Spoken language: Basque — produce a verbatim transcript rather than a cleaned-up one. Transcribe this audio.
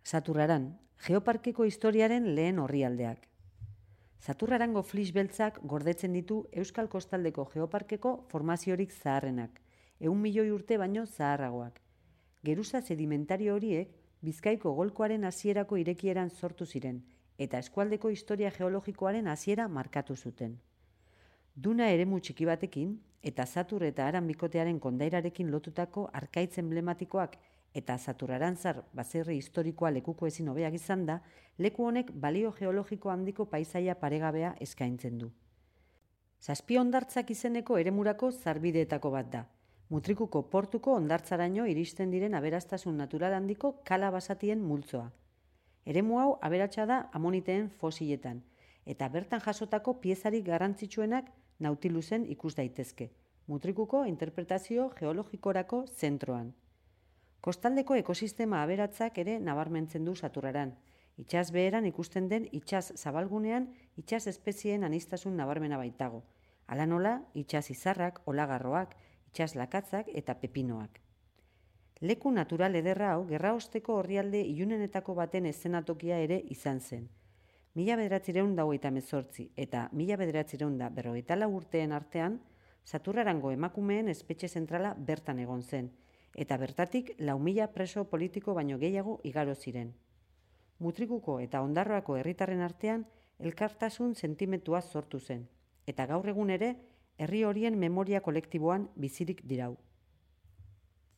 Saturraran, geoparkeko historiaren lehen orrialdeak. Saturrarango flis beltzak gordetzen ditu Euskal Kostaldeko geoparkeko formaziorik zaharrenak, ehun milioi urte baino zaharragoak. Geruza sedimentario horiek Bizkaiko golkoaren hasierako irekieran sortu ziren, eta eskualdeko historia geologikoaren hasiera markatu zuten. Duna eremu txiki batekin, eta Satur eta Aran bikotearen kondairarekin lotutako arkaitz emblematikoak eta Saturrarantzar baserri historikoa lekuko ezin hobeak izan da, leku honek balio geologiko handiko paisaia paregabea eskaintzen du. Zazpi hondartzak izeneko eremurako zarbideetako bat da. Mutrikuko portuko hondartzaraino iristen diren aberastasun natural handiko kala basatien multzoa. Eremu hau aberatsa da amoniteen fosiletan, eta bertan jasotako piezarik garrantzitsuenak Nautilusen ikus daitezke, Mutrikuko interpretazio geologikorako zentroan. Kostaldeko ekosistema aberatzak ere nabarmentzen du Saturraran. Itsas beheran ikusten den itsas zabalgunean itsas espezieen aniztasun nabarmena baitago. Hala nola, itsas izarrak, olagarroak, itsas lakatzak eta pepinoak. Leku natural ederra hau gerraosteko orrialde ilunenetako baten eszenatokia ere izan zen. Mila bederatziehun eta hogeita hemezortzi eta mila bederatziehun eta berrogeita lau urteen artean, Saturrarango emakumeen espetxe zentrala bertan egon zen, eta bertatik lau mila preso politiko baino gehiago igaro ziren. Mutrikuko eta Ondarroako herritarren artean elkartasun sentimentua sortu zen, eta gaur egun ere herri horien memoria kolektiboan bizirik dirau.